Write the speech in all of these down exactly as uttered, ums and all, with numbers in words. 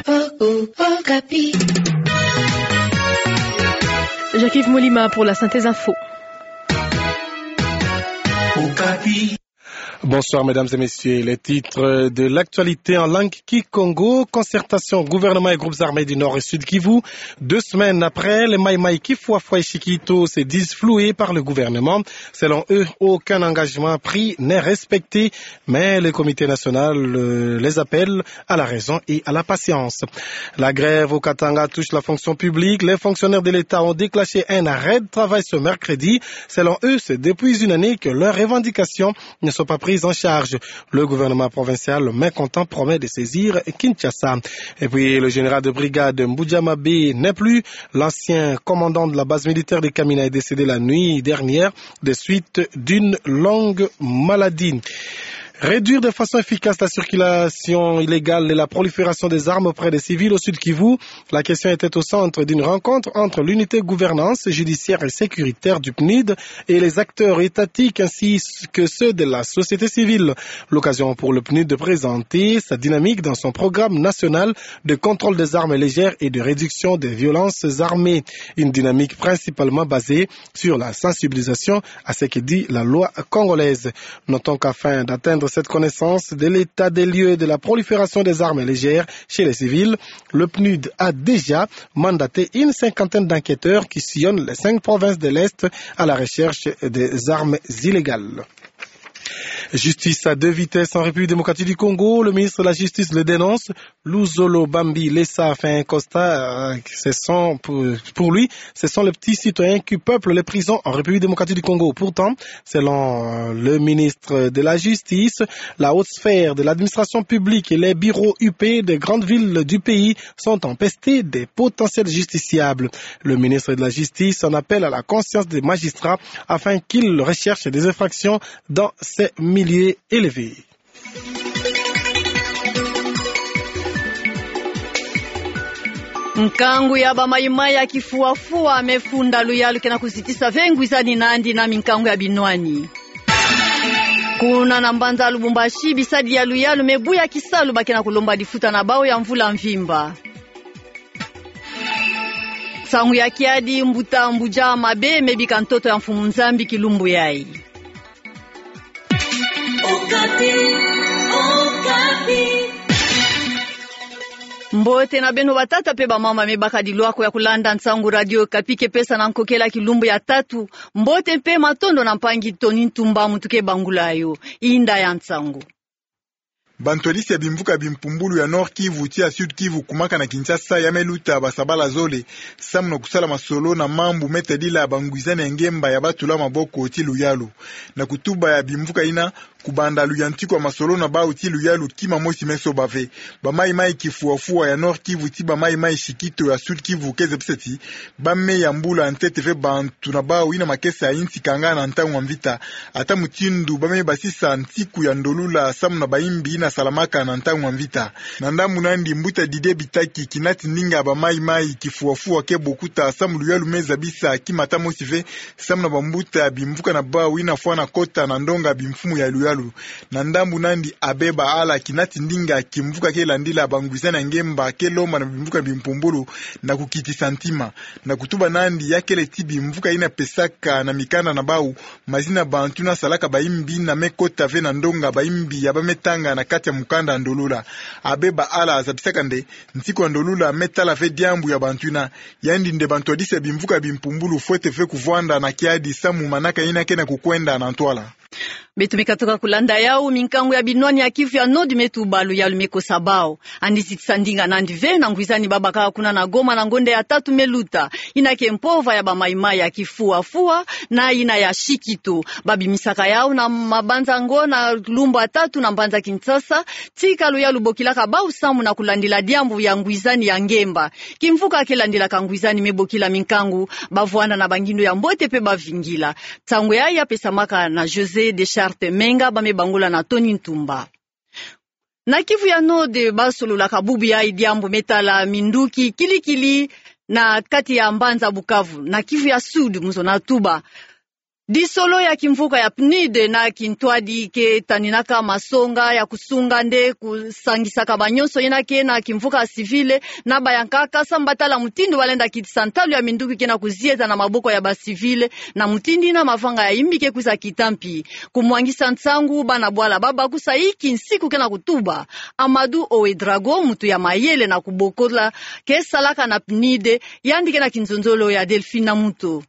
Okapi. Jacques-Yves Molima pour la synthèse info. Bonsoir, mesdames et messieurs. Les titres de l'actualité en langue kikongo. Concertation gouvernement et groupes armés du Nord et Sud-Kivu. Deux semaines après, les Maï-Maï Kifuafua et Shikito se disent floués par le gouvernement. Selon eux, aucun engagement pris n'est respecté, mais le comité national, euh, les appelle à la raison et à la patience. La grève au Katanga touche la fonction publique. Les fonctionnaires de l'État ont déclenché un arrêt de travail ce mercredi. Selon eux, c'est depuis une année que leurs revendications ne sont pas prises en charge. Le gouvernement provincial, mécontent, promet de saisir Kinshasa. Et puis, le général de brigade Mbuja Mabe n'est plus. L'ancien commandant de la base militaire de Kamina est décédé la nuit dernière des suites d'une longue maladie. Réduire de façon efficace la circulation illégale et la prolifération des armes auprès des civils au Sud-Kivu, la question était au centre d'une rencontre entre l'unité gouvernance judiciaire et sécuritaire du PNUD et les acteurs étatiques ainsi que ceux de la société civile. L'occasion pour le PNUD de présenter sa dynamique dans son programme national de contrôle des armes légères et de réduction des violences armées. Une dynamique principalement basée sur la sensibilisation à ce que dit la loi congolaise. Notons qu'afin d'atteindre cette connaissance de l'état des lieux de la prolifération des armes légères chez les civils, le PNUD a déjà mandaté une cinquantaine d'enquêteurs qui sillonnent les cinq provinces de l'Est à la recherche des armes illégales. Justice à deux vitesses en République démocratique du Congo, le ministre de la Justice le dénonce. Luzolo Bambi Lesa fait un constat, euh, ce sont pour, pour lui, ce sont les petits citoyens qui peuplent les prisons en République démocratique du Congo. Pourtant, selon, euh, le ministre de la Justice, la haute sphère de l'administration publique et les bureaux U P des grandes villes du pays sont empestés des potentiels justiciables. Le ministre de la Justice en appelle à la conscience des magistrats afin qu'ils recherchent des infractions dans ces milieux élevés. Nkangu ya bamaimai ya kifuafua mefunda luyalu ke na kuzitisa ve ngwizani nandi na minkangu ya binwani. Kuna na mbanza Lubumbashi, bisadi ya luyalu mebuya kisalu ba ke na kulomba lifuta na bau ya mvula mvimba. Nsangu ya kiadi, mbuta Mbuja Mabe mebika ntoto ya Mfumu Nzambi kilumbu yai. Okapi, Okapi. Mbote na beno batata pe bamama me bakadi lwako ya kulanda nsangu Radio Okapi ke pesa na nkokela kilumbu ya tatu. Mbote mpe matondo na mpangi Tony Ntumba muntu ke bangula yo. Inda ya nsangu. Bantwadisi ya bimvuka bimpumbulu ya Nord-Kivu tii ya Sud-Kivu kumaka na Kinshasa ya meluta basabala zole, samu na kusala masolo na mambu metadila bangwizani ya ngemba ya batula maboko tii luyalu. Na kutuba ya bimvuka yina, kubanda luyantiku ya masolo na bau tii luyalu kima mosi mesoba ve. Bamaimai kifuafua ya Nord-Kivu tii bamaimai shikito ya Sud-Kivu ke zebisa ti, ba me yambula ntete ve bantu na bau yina makesa ya insi kanga na ntangu ya mvita. Ata mutindu ba me basisa ntiku ya ndolula samu na bayimbi yina salamaka na ntangu ya mvita. Na ndambu nandi mbuta Didier Bitaki kina ti ndinga bamaimai kifuafua ke bokuta samu luyalu me zabisa kima ata mosi ve samu na bambuta bimvuka na bau yina fwana kota na ndonga bimfumu ya luyalu. Na ndambu nandi Abbé Baala kina ti ndinga kimvuka ke landila bangwizani ya ngemba ke lomba na bimvuka bimpumbulu na kukitisa ntima. Na kutuba nandi ya kele ti bimvuka yina pesaka na mikanda na bau mazina bantu yina salaka bayimbi yina me kota ve na ndonga bayimbi ya ba me tanga na kati ya mukanda ndolula. Abbé Baala zabisaka nde, ntiku ya ndolula me tala ve diambu ya bantu yina. Yandi nde bantwadisi ya bimvuka bimpumbulu fwete ve kuvwanda na kiadi samu manaka yina ke na kukwenda na ntwala. Beto me katuka kulanda yau, minkangu ya binwani ya Kivu ya Nord me tuba luyalu me kosa bau. Yandi zitisa ndinga nandi ve na ngwizani ba bakaka kuna na Goma na ngonda ya tatu meluta. Yina ke mpova ya bamaimai ya kifuafua na yina ya shikito. Ba bimisaka yau na mabanza ngo na lumbu ya tatu na mbanza Kinshasa. Tika luyalu bokilaka bau samu na kulandila diambu ya ngwizani ya ngemba. Kimvuka ke landilaka ngwizani me bokila minkangu, ba vwanda na bangindu ya mbote pe ba vingila. Nsangu yayi ya pesamaka na José Deschartes Menga, ba me bangula na Tony Ntumba. Na Kivu ya Nord ba sololaka bubu yayi diambu me tala minduki kilikili na kati ya mbanza Bukavu. Na Kivu ya Sud, mu zo na tuba, Disolo ya kimvuka ya PNUD na kintwadi ke taninaka masonga ya kusunga nde kusangisaka banyonso yena ke na kimvuka ya civil na bayankaka samu batala mutindu balenda kitisa ntalu ya minduki ke na kuzieta na maboko ya ba civil, na mutindu yina mavanga ya imbi ke kwiza kita mpi. Kumwangisa nsangu bana bwala babakusa inki nsiku ke na kutuba. Amadou Ouédraogo, muntu ya mayele na kubokola, ke salaka na PNUD, yandi ke na kinzonzolo ya Delphine Namuto.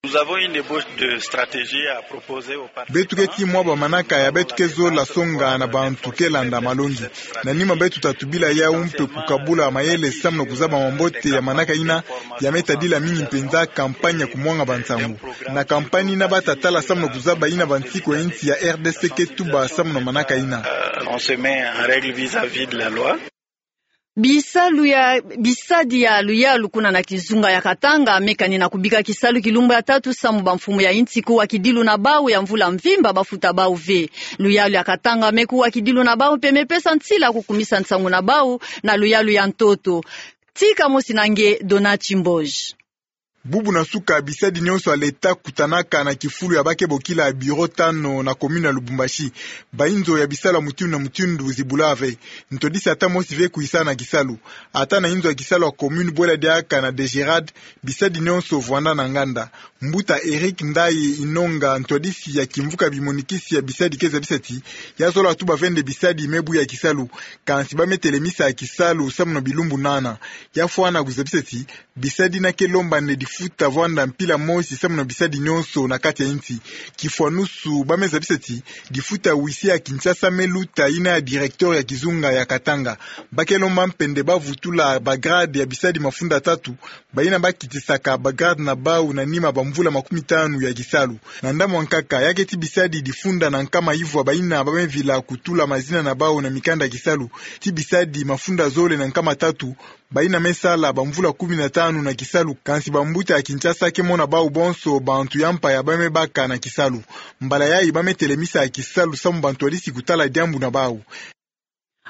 Nous avons une ébauche de stratégie à proposer aux participants. Beto ke tii mwa bamanaka ya beto ke zola songa na bantu ke landa malongi. Na nima beto ta tubila yawu mpe kukabula mayele samu na kuzaba mambote ya manaka yina, ya me tadila mingi mpenza campagne ya kumwanga bansangu. Na campagne yina bata tala samu na kuzaba yina bansiku ya insi ya R D C ke tuba samu na manaka yina. Euh, on se met en règle vis-à-vis de la loi. Bisalu ya, bisadi ya luyalu kuna na kizunga ya Katanga me kani na kubika kisalu kilumbu ya tatu samu bamfumu ya insi kuwa kidilu na bawu ya mvula mvimba bafuta bawu ve. Luyalu ya Katanga me kuwa kidilu na bawu mpe me pesa nsila kukumisa nsangu na bawu na luyalu ya ntoto. Tika mosi na nge Dona Chimboj. Bubu na suka bisadi nyonso ya leta kutanaka na kifulu ya ba ke bokila bureau tano na commune ya Lubumbashi. Bayinzo ya bisalu ya mutindu na mutindu zibula ve. Ntwadisi ata mosi ve kuyisa na kisalu. Ata na yinzo ya kisalu ya commune bwela diaka na DGRAD, bisadi nyonso vwanda na nganda. Mbuta Eric Ndayi Inonga, ntwadisi ya kimvuka bimonikisi ya bisadi ke zabisa ti, ya zola tuba ve nde bisadi me buya kisalu, kansi ba me telemisa kisalu samu na bilumbu nana. Ya fwana kuzabisa ti, bisadi yina ke lomba nde difuta vwanda mpila mosi samu na bisadi nyonso na kati ya insi. Kifwanusu ba me zabisa ti, difuta huissier ya Kinshasa me luta yina ya directeur ya kizunga ya Katanga. Ba ke lomba mpe nde ba vutula ba grade ya bisadi mafunda tatu, bayina ba kitisaka ba grade na bawu na nima bamvula makumi tanu ya kisalu. Na ndambu ya nkaka, ya ke tii bisadi difunda na nkama ivwa bayina ba me vila kutula mazina na bawu na mikanda ya kisalu, tii bisadi mafunda zole na nkama tatu, bayina me sala bamvula kumi na tanu na kisalu, kansi bambuta ya Kinshasa ke mona bawu bonso bantu ya mpa ya ba me baka na kisalu. Mbala yayi ba me telemisa kisalu samu bantwadisi kutala diambu na bawu.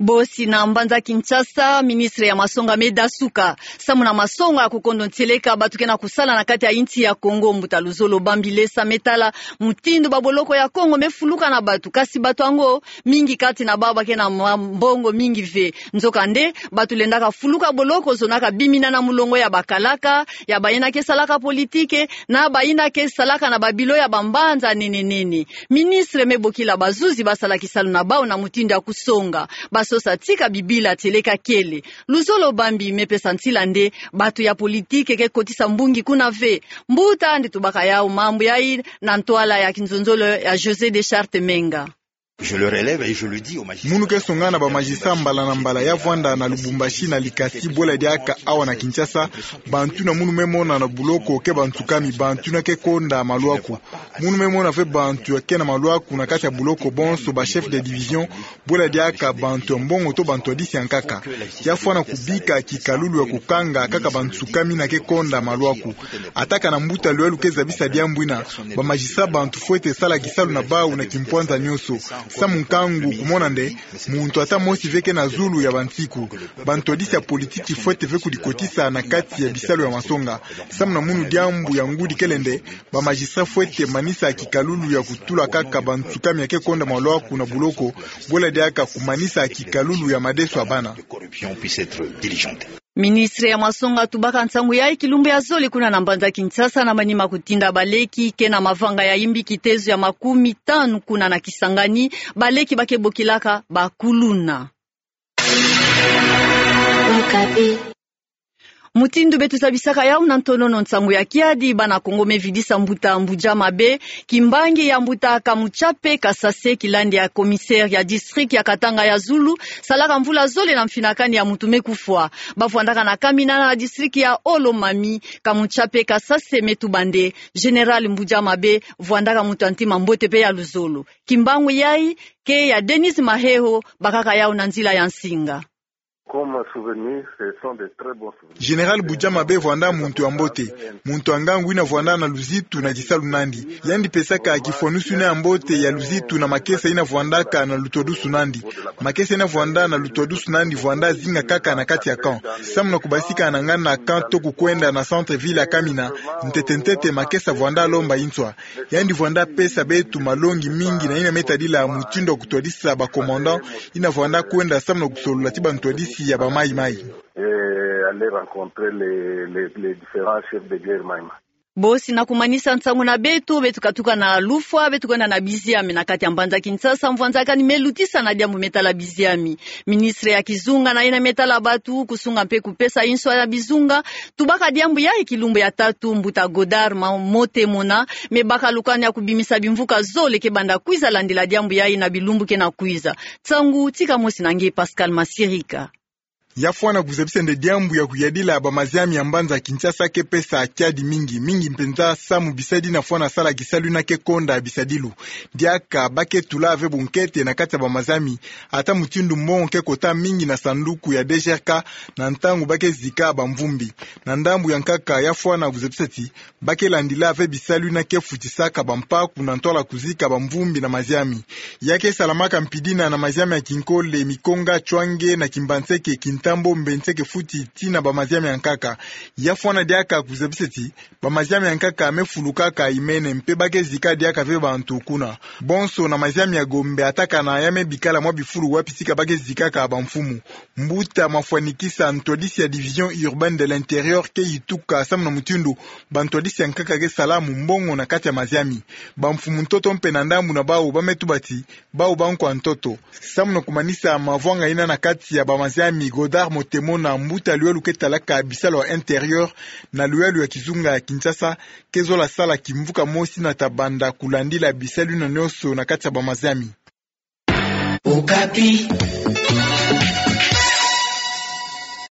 Bosi na mbanza Kinshasa, ministre ya masonga me dasuka samu na masonga ya kukondo ntieleka bato ke na kusala na kati ya insi ya Kongo. Mbuta Luzolo Bambi Lesa me tala mutindu baboloko ya Kongo me fuluka na bato, kasi bato yango mingi kati na bawu ba ke na mwa mbongo mingi ve. Nzokande, bato lendaka fuluka boloko zonaka bimina na mulongo ya bakalaka, ya bayina ke salaka politike, na bayina ke salaka na babilo ya bambanza nene nene. Ministre me bokila bazuzi ba sala kisalu na bawu na mutindu ya kusonga. Ba sosa tika bibila tieleka kele. Luzolo Bambi me pesa nsila nde bato ya politike ke kotisa mbungi kuna ve. Mbuta, nde tubaka yawu mambu yayi na ntwala ya kinzonzolo ya José Deschartes Menga. Je le relève et je le dis au magistrat. Munu ke songa na ba magistrat mbala na mbala ya vwanda na Lubumbashi na Likasi bwela diaka awa na Kinshasa, bantu yina munu me mona na buloko ke bantsukami, bantu yina ke konda malwaku. Munu me mona ve bantu ya ke na malwaku na kati ya buloko bonso, ba chef de division, bwela diaka bantu ya mbongo to bantwadisi ya nkaka. Ya fwana kubika kikalulu ya kukanga kaka bantsukami yina ke konda malwaku. Ata kana mbuta Luyalu ke zabisa diambu yina, ba magistrat bantu fwete sala kisalu na bawu na kimpwanza nyonso. Samu nkangu kumona nde muntu ata mosi ve ke na zulu ya bansiku. Bantwadisi ya politiki fwete ve kudikotisa na kati ya bisalu ya masonga. Samu na munu diambu ya ngudi kele nde, ba magistrat fwete manisa kikalulu ya kutula kaka bantsukami ya ke konda malwaku na buloko, bwela diaka kumanisa kikalulu ya madeso ya bana. Ministre ya masonga tubaka nsangu yayi kilumbu ya zole kuna na mbanza Kinshasa na manima kutinda baleki ke na mavanga ya imbi kitezo ya makumi tanu kuna na Kisangani, baleki ba ke bokilaka bakuluna. Mutindu beto zabisaka yawu na ntonono nsangu ya kiadi, bana Kongo me vidisa mbuta Mbuja Mabe, kimbangi ya mbuta Kamutsape Kasase, kilandi ya commissaire ya district ya Katanga ya Zulu, salaka mvula zole na mfinakani ya muntu me kufwa. Ba vwandaka na kamina na district ya Haut-Lomami. Kamutsape Kasase me tuba nde Général Mbuja Mabe vwandaka muntu ya ntima mbote pe ya luzolo. Kimbangu yayi ke ya Denise Maheho, bakaka yawu na nzila ya nsinga. Comme souvenir, ce sont de très bons souvenirs. Général Bujama be vwanda muntu ya mbote, muntu ya ngangu ina vwanda na luzitu na kisalu nandi. Yandi pesaka kifwanusu ina ya mbote ya luzitu na makesa ina vwandaka na lutwadusu nandi. Makesa ina vwanda na lutwadusu nandi vwanda zinga kaka na kati ya camp. Samu na kubasika na ngana camp to kukwenda na centre-ville ya Kamina, ntete-ntete makesa vwanda lomba inswa. Yandi vwanda pesa beto malongi mingi na ina me tadila mutindu ya kutwadisa ba commandant ina vwanda kwenda samu na kusolula ti bantwadisi ya ba Maï-Maï. Et aller rencontrer les, les, les différents chefs de guerre Maï-Maï. Bosi na kumanisa nsangu na beto, beto katuka na lufwa, beto kwenda na biziami na kati ya mbanza Kinshasa, mvwanzakani me lutisa na diambu me tala biziami. Ministre ya kizunga na ina me tala batu, kusunga mpe kupesa inswa ya bizunga, tubaka diambu yayi kilumbu ya tatu, mbuta Godard Ma-, Motemona, me baka lukani ya kubimisa bimvuka zole ke banda kwiza landila diambu yayi na bilumbu ke na kwiza. Nsangu tika mosi na nge Pascal Masirika. Ya fwana kuzabisa nde diambu ya kuyadila ba maziami ya mbanza Kinshasa ke pesa kiadi mingi, mingi mpenza samu bisadi na fwana sala kisalu ina ke konda bisadilu. Diaka ba ke tula ve bunkete na kati ya ba maziami, ata mutindu mbongo ke kota mingi na sanduku ya D G R K na ntangu ba ke zika ba mvumbi. Na ndambu ya nkaka ya fwana kuzabisa ti, ba ke landila ve bisalu ina ke futisaka ba mpaku na ntwala kuzika ba mvumbi na maziami. Ya ke salamaka mpidina na maziami ya Kinkole, Mikonga, Chouangé na Kimbanseke, Kintambo, Mbanseke Fouti, tii na ba maziami ya nkaka. Ya fwana diaka kuzabisa ti, ba maziami ya nkaka me fulukaka imene mpe ba ke zika diaka ve bantu kuna. Bonso na maziami ya Gombe atakana ya me bikala mwa bifulu wapi tika ba ke zikaka ba mfumu. Mbuta Mafwanikisa, ntwadisi ya Division Urbaine de l'Intérieur, ke yituka samu na mutindu bantwadisi ya nkaka ke sala mu mbongo na kati ya maziami. Ba mfumu ntoto mpe na ndambu na bawu ba me tuba ti bawu ba nkwa ntoto. Samu na kumanisa mavwanga ina na kati ya ba maziami, Godard Motemona, mbuta luyalo ke talaka bisalu ya intérieur na luyalo ya kizunga ya Kinshasa, ke zola sala kimvuka mosi na ta banda kulandila bisalu ina nionso na kati ya ba maziami. Okapi.